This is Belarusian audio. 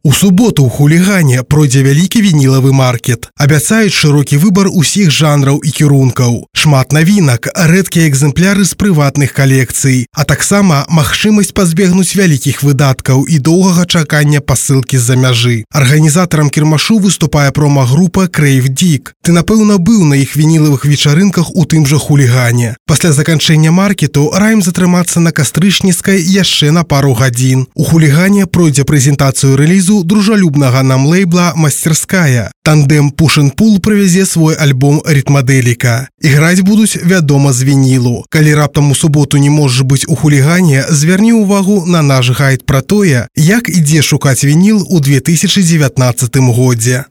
У суботу ў хулігане пройдзе вялікі вінілавы маркет. Абяцаюць шырокі выбар усіх жанраў і кірункаў. Шмат навінак, рэдкія экземпляры з прыватных калекцый, а таксама магчымасць пазбегнуць вялікіх выдаткаў і доўгага чакання пасылкі з-за мяжы. Арганізатарам кірмашу выступае прома-група Crave Dig. Ты, напэўна, быў на іх вінілавых вечарынках у тым жа хулігане. Пасля заканчэння маркету раім затрымацца на Кастрычніцкай яшчэ на пару гадзін. У хулігане пройдзе прэзентацыю рэлізу дружалюбнага нам лейбла «Мастерская». Тандем Push and Pull прывязе свой альбом «Ритмоделика». Іграць будуць, вядома, з вінілу. Калі раптам у суботу не можаш быць у хулігане, звярні ўвагу на наш гайд пра тое, як і дзе шукаць вініл у 2019 годзе.